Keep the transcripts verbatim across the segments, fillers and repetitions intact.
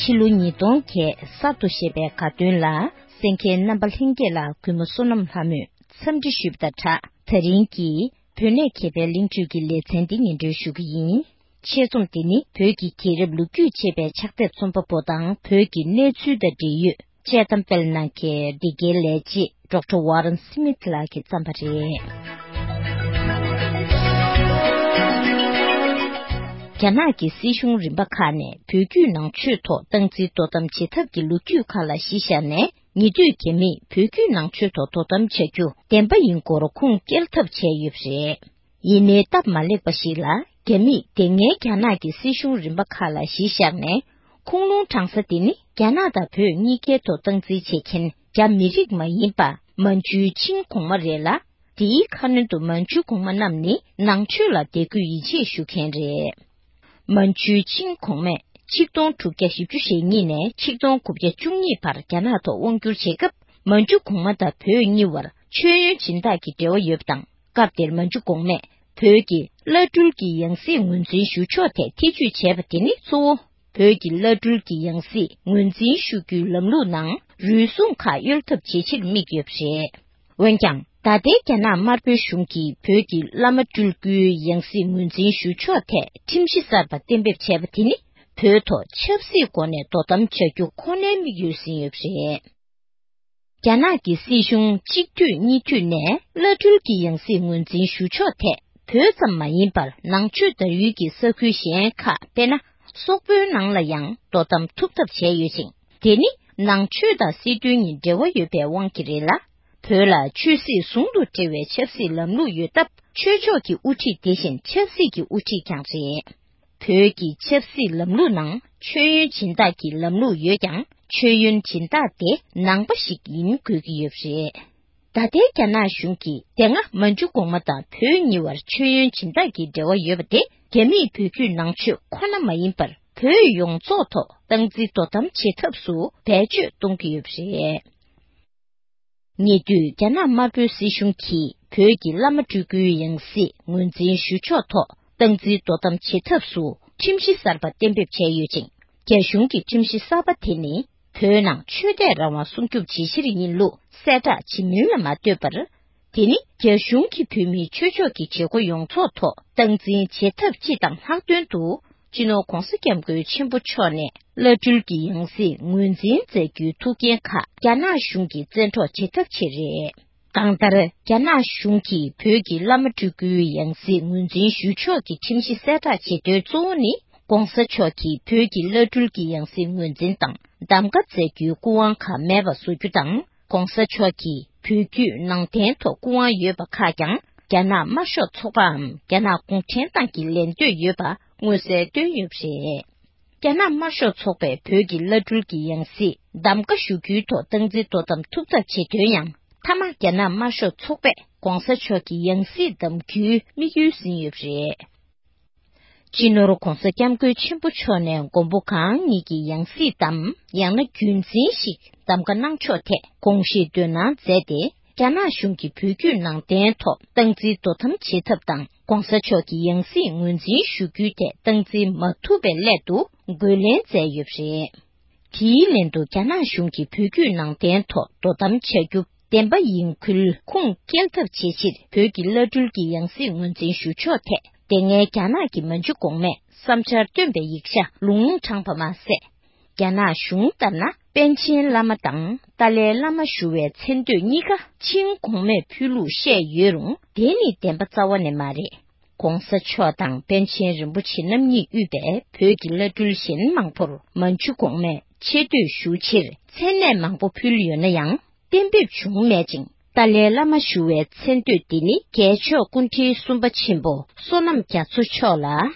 ཕྱི་ལོ་ཉིས་སྟོང་བརྒྱད་གསར་དུ་བཞད་པའི་དགའ་སྟོན་ལ་གསན་མཁན་རྣམ་པ་ལྷན་རྒྱས་ལ་གུས་མོ་བསོད་ནམས་ལྷ་མོས་འཚམས་འདྲི་ཞུས་པ་དང་སྦྲགས། ད་རིང་གི་བོད་གནས་མཁས་པའི་གླེང་བརྗོད་ཀྱི་ལེ་ཚན་འདི་སྙན་སྒྲོན་ཞུ་གི་ཡིན། ཆེད་རྩོམ་འདི་ནི་བོད་ཀྱི་རྒྱལ་རབས་ལོ་རྒྱུས་ཅེས་པའི་ཕྱག་དེབ་རྩོམ་པ་པོ་དང་བོད་ཀྱི་གནས་ཚུལ་དང་འབྲེལ་ཡོད་དཔྱད་གཏམ་སྤེལ་གནང་མཁན་འདི་གའི་ལས་བྱེད་ཌོག་ཊར་ཝ་རན་སི་མིད་ལགས་ཀྱིས་བརྩམས་པ་རེད། རྒྱ་ནག་གི་སྲིད་གཞུང་རིམ་པ་ཁག་ནས་བོད་བརྒྱུད་ནང་ཆོས་ཐོག་སྟངས་འཛིན་དོ་དམ་བྱེད་ཐབས་ཀྱི་ལོ་རྒྱུས་ཁག་ལ་གཞི་བཞག་ནས། ཉེ་དུས་རྒྱ་མིས་བོད་བརྒྱུད་ནང་ཆོས་ཐོག་དོ་དམ་བྱ་རྒྱུ་བདེན་པ་ཡིན་སྐོར་ཁུངས་སྐྱེལ་ཐབས་བྱས་ཡོད་པ་རེད། ཡིན་ནའི་སྟབས་མ་ལེགས་པ་ཞིག་ལ། རྒྱ་མིས་དེ་སྔའི་རྒྱ་ནག་གི་སྲིད་གཞུང་རིམ་པ་ཁག་ལ་གཞི་བཞག་ནས། ཁུངས་ལུང་དྲང་ས་དེ་ནི་རྒྱ་ནག་དང་བོད་གཉིས་ཀའི་ཐོག་སྟངས་འཛིན་བྱེད་མཁན་རྒྱ་མི་རིགས་མ་ཡིན་པ་མན་ཇུའི་ཆིང་གོང་མ་རེད་ལ། དེའི་ཁ་སྣོན་དུ་མན་ཇུ་གོང་མ་རྣམས་ནི་ནང་ཆོས་ལ་དད་གུས་ཡིད་ཆེས་ཞུ་མཁན་རེད། མན་ཇུའི་ཆིང་གོང་མས་ཆིག་སྟོང་དྲུག་བརྒྱ་བཞི་བཅུ་ཞེ་གཉིས་ནས་ཆིག་སྟོང་དགུ་བརྒྱ་བཅུ་གཉིས་བར་རྒྱ་ནག་ཐོག་དབང་བསྒྱུར་བྱེད་སྐབས། མན་ཇུ་གོང་མ་དང་བོད་གཉིས་བར་མཆོད་ཡོན་སྦྱིན་བདག་གི་འབྲེལ་བ་ཡོད་པ་དང་། སྐབས་དེར་མན་ཇུ་གོང་མས་བོད་ཀྱི་བླ་སྤྲུལ་གྱི་ཡང་སྲིད་ངོས་འཛིན་ཞུ་ཕྱོགས་ཐད་ཐེ་བྱུས་བྱས་པ་དེ་ནི་གཙོ་བོ། བོད་ཀྱི་བླ་སྤྲུལ་གྱི་ཡང་སྲིད་ངོས་འཛིན་ཞུ་རྒྱུའི་ལམ་ལུགས་ནང་རུལ་སུངས་ཁག་གཡོལ་ཐབས་བྱེད་ཕྱིར་དམིགས་ཡོད་པ་རེད། འོན་ཀྱང་། ད་ལྟའི་རྒྱ་ནག་དམར་པོའི་གཞུང་གིས་བོད་ཀྱི་བླ་མ་སྤྲུལ་སྐུའི་ཡང་སྲིད་ངོས་འཛིན་ཞུ་ཕྱོགས་ཐད་ཁྲིམས་གཞི་གསར་པ་གཏན་འབེབས་བྱས་པ་དེ་ནི། བོད་ཐོག་ཆབ་སྲིད་སྒོ་ནས་དོ་དམ་བྱ་རྒྱུ་ཁོ་ནའི་དམིགས་ཡུལ་ཟིན་ཡོད་པ་རེད། རྒྱ་ནག་གི་སྲིད་གཞུང་གཅིག་མཐུད་གཉིས་མཐུད་ནས་བླ་སྤྲུལ་གྱི་ཡང་སྲིད་ངོས་འཛིན་ཞུ་ཕྱོགས་ཐད། བོད་ཙམ་མ་ཡིན་པར་ནང་ཆོས་དར་ཡུལ་གྱི་ས་ཁུལ་གཞན་ཁག་དཔེར་ན། སོག་པོའི་ནང་ལ་ཡང་དོ་དམ་ཐུབ་ཐབས་བྱས་ཡོད་ཅིང་། དེ་ནི་ནང་ཆོས་དང་སྲིད་དོན་གཉིས་འབྲེལ་བ་ཡོད་པའི་དབང་གིས་རེད་ལ། བོད་ལ་ཆོས་སྲིད་ཟུང་དུ་འབྲེལ་བའི་ཆབ་སྲིད་ལམ་ལུགས་ཡོད་སྟབས། ཆོས་ཕྱོགས་ཀྱི་དབུ་ཁྲིད་དེ་བཞིན་ཆབ་སྲིད་ཀྱི་དབུ་ཁྲིད་ཀྱང་རེད། བོད་ཀྱི་ཆབ་སྲིད་ལམ་ལུགས་ནང་མཆོད་ཡོན་སྦྱིན་བདག་གི་ལམ་ལུགས་ཡོད་ཀྱང་། མཆོད་ཡོན་སྦྱིན་བདག་དེ་ནང་པ་ཞིག་ཡིན་དགོས་ཀྱི་ཡོད་པ་རེད། ད་ལྟའི་རྒྱ་ནག་གཞུང་གིས་དེ་སྔ་མན་ཇུ་གོང་མ་དང་བོད་གཉིས་བར་མཆོད་ཡོན་སྦྱིན་བདག་གི་འབྲེལ་བ་ཡོད་པ་དེ། རྒྱ་མིས་བོད་བརྒྱུད་ནང་ཆོས་ཁོ་ན་མ་ཡིན་པར། བོད་ཡོངས་རྫོགས་ཐོག་སྟངས་འཛིན་དོ་དམ་བྱེད་ཐབས་སུ་བེད་སྤྱོད་གཏོང་གི་ཡོད་པ་རེད། ཉེ་དུས་རྒྱ་ནག་དམར་པོའི་སྲིད་གཞུང་གིས་བོད་ཀྱི་བླ་མ་སྤྲུལ་སྐུའི་ཡང་སྲིད་ངོས་འཛིན་ཞུ་ཕྱོགས་ཐོག་སྟངས་འཛིན་དོ་དམ་བྱེད་ཐབས་སུ་ཁྲིམས་གཞི་གསར་པ་གཏན་འབེབས་བྱས་ཡོད་ཅིང་། རྒྱ་གཞུང་གི་ཁྲིམས་གཞི་གསར་པ་དེ་ནི་བོད་ནང་ཆོས་དད་རང་དབང་སྲུང་སྐྱོབ་བྱེད་ཕྱིར་ཡིན་ལུགས་གསལ་བསྒྲགས་བྱེད་མིན་ལ་མ་ལྟོས་པར། དེ་ནི་རྒྱ་གཞུང་གིས་བོད་མིའི་ཆོས་ཕྱོགས་ཀྱི་བྱེད་སྒོ་ཡོངས་རྫོགས་ཐོག་སྟངས་འཛིན་བྱེད་ཐབས་སྤྱི་དང་ལྷག་དོན་དུ། སྤྱི་ནོར་༧གོང་ས་༧སྐྱབས་མགོན་ཆེན་པོ་མཆོག་ནས་བླ་སྤྲུལ་གྱི་ཡང་སྲིད་ངོས་འཛིན་མཛད་རྒྱུའི་ཐུགས་འགན་ཁག་རྒྱ་ནག་གཞུང་གིས་བཙན་འཕྲོག་བྱེད་ཐབས་ཆེད་རེད། གང་ལྟར། རྒྱ་ནག་གཞུང་གིས་བོད་ཀྱི་བླ་མ་སྤྲུལ་སྐུའི་ཡང་སྲིད་ངོས་འཛིན་ཞུ་ཕྱོགས་ཀྱི་ཁྲིམས་གཞི་གསལ་བསྒྲགས་བྱེད་དོན་གཙོ་བོ་ནི། ༸གོང་ས་མཆོག་གིས་བོད་ཀྱི་བླ་སྤྲུལ་གྱི་ཡང་སྲིད་ངོས་འཛིན་དང་གདམ་ག་མཛད་རྒྱུའི་སྐུ་དབང་ཁག་མེད་པ་བཟོ་རྒྱུ་དང་། ༸གོང་ས་མཆོག་གིས་བོད་བརྒྱུད་ནང་བསྟན་ཐོག་སྐུ་དབང་ཡོད་པ་ཁག་ཀྱང་རྒྱ་ནག་དམར་ཤོག་ཚོགས་པའམ་རྒྱ་ནག་གུང་ཁྲན་ཏང་གི་ལེན་འདོད་ཡོད་པ་མངོན་གསལ་བཏོན་ཡོད་པ་རེད། རྒྱ་ནག་དམར་ཤོག་ཚོགས་པས་བོད་ཀྱི་བླ་སྤྲུལ་གྱི་ཡང་སྲིད་གདམ་ག་ཞུ་རྒྱུའི་ཐོག་སྟངས་འཛིན་དོ་དམ་ཐུབ་ཐབས་བྱེད་དོན་ཡང་། མཐའ་མ་རྒྱ་ནག་དམར་ཤོག་ཚོགས་པས་༸གོང་ས་མཆོག་གི་ཡང་སྲིད་གདམ་རྒྱུའི་དམིགས་ཡུལ་ཟིན་ཡོད་པ་རེད། སྤྱི་ནོར་༸གོང་ས་༸སྐྱབས་མགོན་ཆེན་པོ་མཆོག་ནས་མགོན་པོ་གང་ཉིད་ཀྱི་ཡང་སྲིད་དམ་ཡང་ན་རྒྱུན་འཛིན་ཞིག་གདམ་ག་གནང་ཕྱོགས་ཐད་དགོངས་བཞེས་འདོན་གནང་མཛད་དེ། རྒྱ་ནག་གཞུང་གིས་བོད་བརྒྱུད་ནང་བསྟན་ཐོག་སྟངས་འཛིན་དོ་དམ་བྱེད་ཐབས་དང་༸གོང་ས་མཆོག་གི་ཡང་སྲིད་ངོས་འཛིན་ཞུ་རྒྱུའི་ཐད་སྟངས་འཛིན་མ་ཐུབ་པའི་སླད་དུ་རྒོལ་ལན་མཛད་ཡོད་པ་རེད། དེའི་ལན་དུ་རྒྱ་ནག་གཞུང་གིས་བོད་བརྒྱུད་ནང་བསྟན་ཐོག་དོ་དམ་བྱ་རྒྱུ་བདེན་པ་ཡིན་ཁུལ་ཁུངས་སྐྱེལ་ཐབས་བྱེད་ཕྱིར་བོད་ཀྱི་བླ་སྤྲུལ་གྱི་ཡང་སྲིད་ངོས་འཛིན་ཞུ་ཕྱོགས་ཐད་དེ་སྔའི་རྒྱ་ནག་གི་མན་ཇུ་གོང་མས་བསམ་འཆར་བཏོན་པའི་ཡིག་ཆ་ལུང་དྲངས་པ་མ་ཟད། རྒྱ་ནག་གཞུང་ལྟར་ན་པཎ་ཆེན་བླ་མ་དང་ཏཱ་ལའི་བླ་མ་ཞུ་བའི་མཚན་བསྟོད་གཉིས་ཀ་ཆིང་གོང་མས་ཕུལ་ལུགས་བཤད་ཡོད་རུང་། དེ་ནི་བདེན་པ་རྩ་བ་ནས་མ་རེད། ༸གོང་ས་མཆོག་དང་པཎ་ཆེན་རིན་པོ་ཆེ་རྣམ་གཉིས་དབུས་པའི་བོད་ཀྱི་བླ་སྤྲུལ་གཞན་མང་པོར་མན་ཇུ་གོང་མས་ཆེ་བསྟོད་ཞུ་ཕྱིར་མཚན་གནས་མང་པོ་ཕུལ་ཡོད་ན་ཡང་། གཏན་འབེབས་བྱུང་མེད་ཅིང་། ཏཱ་ལའི་བླ་མ་ཞུ་བའི་མཚན་བསྟོད་འདི་ནི་རྒྱལ་མཆོག་སྐུ་ཕྲེང་གསུམ་པ་ཆེན་པོ་བསོད་ནམས་རྒྱ་མཚོ་མཆོག་ལ་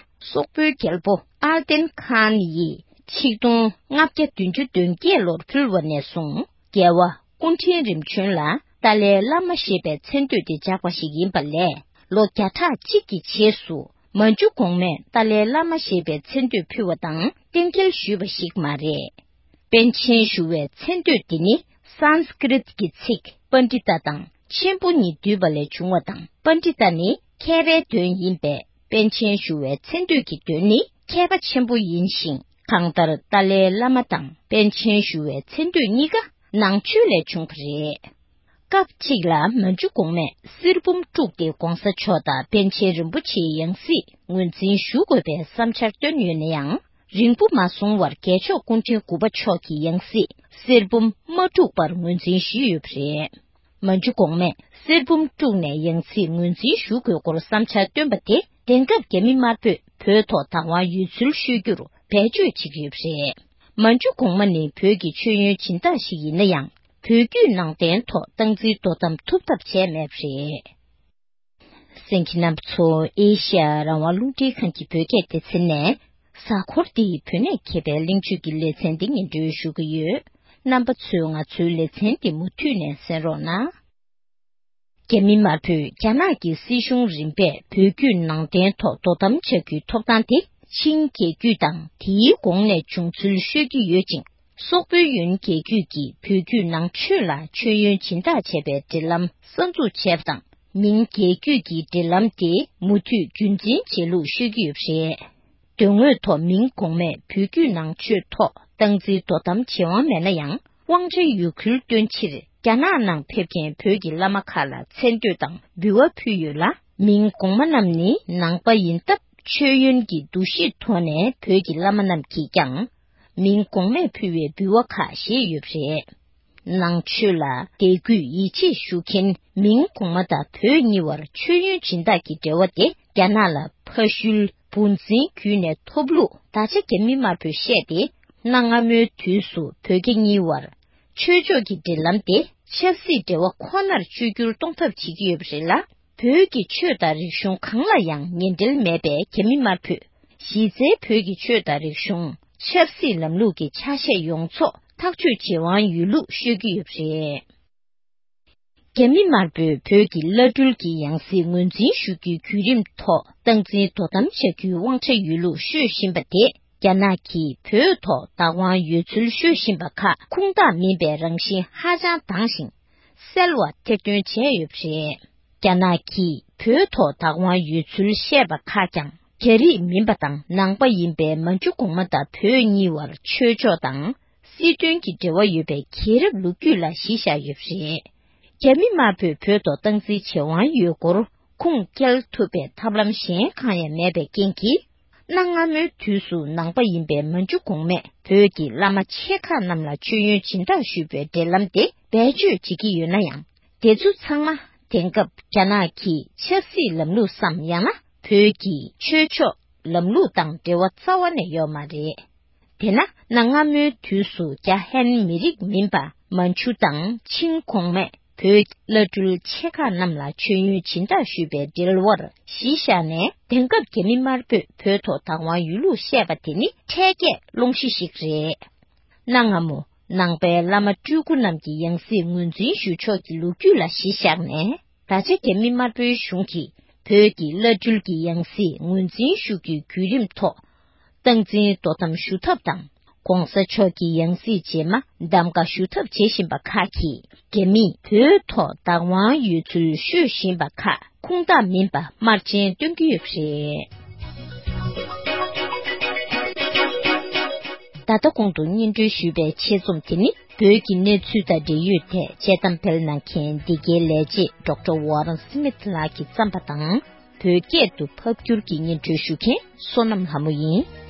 སོག་པོའི་རྒྱལ་པོ་ཨལ་ཏན་ཁཱན་ཡིས་ཆིག་སྟོང་ལྔ་བརྒྱ་བདུན་ཅུ་དོན་བརྒྱད་ལོར་ཕུལ་བ་ནས་བཟུང་རྒྱལ་བ་སྐུ་ཕྲེང་རིམ་བྱོན་ལ་ཏཱ་ལའི་བླ་མ་ཞེས་པའི་མཚན་བསྟོད་དེ་འཇགས་པ་ཞིག་ཡིན་པ་ལས། ལོ་བརྒྱ་ཕྲག་གཅིག་གི་རྗེས་སུ་མན་ཇུ་གོང་མས་ཏཱ་ལའི་བླ་མ་ཞེས་པའི་མཚན་བསྟོད་ཕུལ་བ་དང་གཏན་འཁེལ་ཞུས་པ་ཞིག་མ་རེད། པཎ་ཆེན་ཞུ་བའི་མཚན་བསྟོད་འདི་ནི་སཾ་སྐྲྀཏ་ཀྱི་ཚིག་པཎྜི་ཏ་དང་ཆེན་པོ་གཉིས་འདུས་པ་ལས་བྱུང་བ་དང་། པཎྜི་ཏ་ནི་མཁས་པའི་དོན་ཡིན་པས། པཎ་ཆེན་ཞུ་བའི་མཚན་བསྟོད་ཀྱི་དོན་ནི་མཁས་པ་ཆེན་པོ་ཡིན་ཞིང་ གང་ལྟར་ཏཱ་ལའི་བླ་མ་དང་པཎ་ཆེན་ཞུ་བའི་མཚན་བསྟོད་གཉིས་ཀ་ནང་ཆོས་ལས་བྱུང་བ་རེད། སྐབས་གཅིག་ལ་མན་ཇུ་གོང་མས་གསེར་བུམ་དཀྲུགས་ཏེ་གོང་ས་མཆོག་དང་པཎ་ཆེན་རིན་པོ་ཆེའི་ཡང་སྲིད་ངོས་འཛིན་ཞུ་དགོས་པའི་བསམ་འཆར་བཏོན་ཡོད་ན་ཡང་། རིང་པོ་མ་སོང་བར་རྒྱལ་མཆོག་སྐུ་ཕྲེང་དགུ་པ་མཆོག་གི་ཡང་སྲིད་གསེར་བུམ་མ་དཀྲུགས་པར་ངོས་འཛིན་ཞུས་ཡོད་པ་རེད། མན་ཇུ་གོང་མས་གསེར་བུམ་དཀྲུགས་ནས་ཡང་སྲིད་ངོས་འཛིན་ཞུ་དགོས་སྐོར་བསམ་འཆར་བཏོན་པ་དེ། དེང་སྐབས་རྒྱ་མི་དམར་པོས་བོད་ཐོག་བདག་དབང་ཡོད་ཚུལ་ཤོད་རྒྱུར་བེད་སྤྱོད་བྱེད་ཀྱི་ཡོད་པ་རེད། མན་ཇུ་གོང་མ་ནི་བོད་ཀྱི་མཆོད་ཡོན་སྦྱིན་བདག་ཞིག་ཡིན་ན་ཡང་། བོད་བརྒྱུད་ནང་བསྟན་ཐོག་སྟངས་འཛིན་དོ་དམ་ཐུབ་ཐབས་བྱས་མེད་པ་རེད། གསན་མཁན་རྣམ་པ་ཚོ། ཨེ་ཤ་ཡ་རང་དབང་རླུང་འཕྲིན་ཁང་གི་བོད་སྐད་སྡེ་ཚན་ནས། གཟའ་འཁོར་འདིའི་བོད་གནས་མཁས་པའི་གླེང་བརྗོད་ཀྱི་ལེ་ཚན་འདི་སྙན་སྒྲོན་ཞུ་གི་ཡོད། རྣམ་པ་ཚོས་ང་ཚོའི་ལེ་ཚན་འདི་མུ་མཐུད་ནས་གསན་རོགས་གནང་། རྒྱ་མི་དམར་པོས་རྒྱ་ནག་གི་སྲིད་གཞུང་རིམ་པས་བོད་བརྒྱུད་ནང་བསྟན་ཐོག་དོ་དམ་བྱ་རྒྱུའི་ཐོབ་ཐང་དེ། ཆིང་རྒྱལ་རྒྱུད་དང་དེའི་གོང་ནས་བྱུང་ཚུལ་ཤོད་ཀྱི་ཡོད་ཅིང་། སོག་པོའི་ཡོན་རྒྱལ་རྒྱུད་ཀྱིས་བོད་བརྒྱུད་ནང་ཆོས་ལ་མཆོད་ཡོན་སྦྱིན་བདག་བྱས་པའི་འབྲེལ་ལམ་གསར་འཛུགས་བྱས་པ་དང་། མིང་རྒྱལ་རྒྱུད་ཀྱི་འབྲེལ་ལམ་དེ་མུ་མཐུད་རྒྱུན་འཛིན་བྱེད་ལུགས་ཤོད་ཀྱི་ཡོད་པ་རེད། དོན་དངོས་ཐོག་མིང་གོང་མས་བོད་བརྒྱུད་ནང་ཆོས་ཐོག་སྟངས་འཛིན་དོ་དམ་བྱེད་དབང་མེད་ན་ཡང་། དབང་ཆ་ཡོད་ཁུལ་སྟོན་ཕྱིར། རྒྱ་ནག་ནང་ཕེབས་མཁན་བོད་ཀྱི་བླ་མ་ཁག་ལ་མཚན་བསྟོད་དང་འབུལ་བ་ཕུལ་ཡོད་ལ། མིང་གོང་མ་རྣམས་ནི་ནང་པ་ཡིན་སྟབས། མཆོད་ཡོན་གྱི་འདུ་ཤེས་ཐོག་ནས་བོད་ཀྱི་བླ་མ་རྣམས་ཀྱིས་ཀྱང་། མིང་གོང་མས་ཕུལ་བའི་འབུལ་བ་ཁག་བཞེས་ཡོད་པ་རེད། ནང་ཆོས་ལ་དད་གུས་ཡིད་ཆེས་ཞུ་མཁན་མིང་གོང་མ་དང་བོད་གཉིས་བར་མཆོད་ཡོན་སྦྱིན་བདག་གི་འབྲེལ་བ་དེ། རྒྱ་ནག་ལ་ཕ་ཤུལ་བུ་འཛིན་བརྒྱུད་ནས་ཐོབ་ལུགས། ད་ཆ་རྒྱ་མི་དམར་པོས་བཤད་དེ། གནའ་སྔ་མོའི་དུས་སུ་བོད་རྒྱ་གཉིས་བར་ཆོས་ཕྱོགས་ཀྱི་འབྲེལ་ལམ་དེ། ཆབ་སྲིད་འབྲེལ་བ་ཁོ་ནར་བཅོས་བསྒྱུར་གཏོང་ཐབས་བྱེད་ཀྱི་ཡོད་པ་རེད་ལ། བོད་ཀྱི་ཆོས་དང་རིག་གཞུང་གང་ལ་ཡང་ངན་འབྲེལ་མེད་པས། རྒྱ་མི་དམར་པོས་གཞི་རྩའི་བོད་ཀྱི་ཆོས་དང་རིག་གཞུང་། ཆབ་སྲིད་ལམ་ལུགས་ཀྱི་ཆ་ཤས་ཡོངས་རྫོགས་ཐག་གཅོད་བྱེད་དབང་ཡོད་ལུགས་ཤོད་ཀྱི་ཡོད་པ་རེད། རྒྱ་མི་དམར་པོས་བོད་ཀྱི་བླ་སྤྲུལ་གྱི་ཡང་སྲིད་ངོས་འཛིན་ཞུ་རྒྱུའི་བརྒྱུད་རིམ་ཐོག་སྟངས་འཛིན་དོ་དམ་བྱ་རྒྱུའི་དབང་ཆ་ཡོད་ལུགས་ཤོད་བཞིན་པ་དེ། རྒྱ་ནག་གིས་བོད་ཐོག་བདག་དབང་ཡོད་ཚུལ་ཤོད་བཞིན་པ་ཁག་ཁུངས་དག་མིན་པའི་རང་བཞིན་ཧ་ཅང་དྭངས་ཤིང་། གསལ་བ་ཐེར་འདོན་བྱས་ཡོད་པ་རེད། རྒྱ་ནག་གིས་བོད་ཐོག་བདག་དབང་ཡོད་ཚུལ་བཤད་པ་ཁག་ཀྱང་། རྒྱ་རིགས་མིན་པ་དང་ནང་པ་ཡིན་པའི་མན་ཇུ་གོང་མ་དང་བོད་གཉིས་བར་ཆོས་ཕྱོགས་དང་། སྲིད་དོན་གྱི་འབྲེལ་བ་ཡོད་པའི་རྒྱལ་རབས་ལོ་རྒྱུས་ལ་གཞི་བཞག་ཡོད་པ་རེད། རྒྱ་མི་དམར་པོས་བོད་ཐོག་སྟངས་འཛིན་བྱེད་དབང་ཡོད་སྐོར་ཁུངས་སྐྱེལ་ཐུབ་པའི་ཐབས་ལམ་གཞན་གང་ཡང་མེད་པའི་རྐྱེན་གྱིས། གནའ་སྔ་མོའི་དུས་སུ་ནང་པ་ཡིན་པའི་མན་ཇུ་གོང་མས་བོད་ཀྱི་བླ་མ་ཆེ་ཁག་རྣམས་ལ་མཆོད་ཡོན་སྦྱིན་བདག་ཞུས་པའི་འབྲེལ་ལམ་དེ་བེད་སྤྱོད་བྱེད་ཀྱི་ཡོད་ན་ཡང་། དེ་ཚོ་ཚང་མ་དེང་སྐབས་རྒྱ་ནག་གི་ཆབ་སྲིད་ལམ་ལུགས་སམ། ཡང་ན་བོད་ཀྱི་ཆོས་ཕྱོགས་ལམ་ལུགས་དང་འབྲེལ་བ་རྩ་བ་ནས་ཡོད་མ་རེད། དེས་ན་གནའ་སྔ་མོའི་དུས་སུ་རྒྱ་ཧན་མི་རིགས་མིན་པ་མན་ཇུ་དང་ཆིང་གོང་མས་བོད་བླ་སྤྲུལ་ཆེ་ཁག་རྣམས་ལ་མཆོད་ཡོན་སྦྱིན་བདག་ཞུས་པའི་འབྲེལ་བར་གཞི་བཞག་ནས། དེང་སྐབས་རྒྱ་མི་དམར་པོས་བོད་ཐོག་བདག་དབང་ཡོད་ལུགས་བཤད་པ་དེ་ནི་འཕྲལ་སྐད་སློང་གཞི་ཞིག་རེད། གནའ་སྔ་མོ་ནང་པའི་བླ་མ་སྤྲུལ་སྐུ་རྣམས་ཀྱི་ཡང་སྲིད་ངོས་འཛིན་ཞུ་ཕྱོགས་ཀྱི་ལོ་རྒྱུས་ལ་གཞི་བཞག་ནས། ད་ཆ་རྒྱ་མི་དམར་པོའི་གཞུང་གིས་བོད་ཀྱི་བླ་སྤྲུལ་གྱི་ཡང་སྲིད་ངོས་འཛིན་ཞུ་རྒྱུའི་བརྒྱུད་རིམ་ཐོག་སྟངས་འཛིན་དོ་དམ་ཞུ་ཐབས་དང་། ༸གོང་ས་མཆོག་གི་ཡང་སྲིད་རྗེས་མ་གདམ་ག་ཞུ་ཐབས་བྱེད་བཞིན་པ་ཁག་གིས། རྒྱ་མིས་བོད་ཐོག་བདག་དབང་ཡོད་ཚུལ་ཤོད་བཞིན་པ་ཁག་ཁུངས་དག་མིན་པ་དམར་རྗེན་སྟོན་གྱི་ཡོད་པ་རེད། ད་ལྟ་གོང་དུ་སྙན་སྒྲོན་ཞུས་པའི་ཆེད་རྩོམ་དེ་ནི། བོད་ཀྱི་གནས་ཚུལ་དང་འབྲེལ་ཡོད་ཐད་དཔྱད་གཏམ་སྤེལ་གནང་མཁན་འདི་གའི་ལས་བྱེད་ཌོག་ཊར་ཝོ་རན་སི་མིད་ལགས་ཀྱིས་བརྩམས་པ་དང་། བོད་སྐད་དུ་ཕབ་བསྒྱུར་གྱིས་སྙན་སྒྲོན་ཞུ་མཁན་བསོད་ནམས་ལྷ་མོ་ཡིན།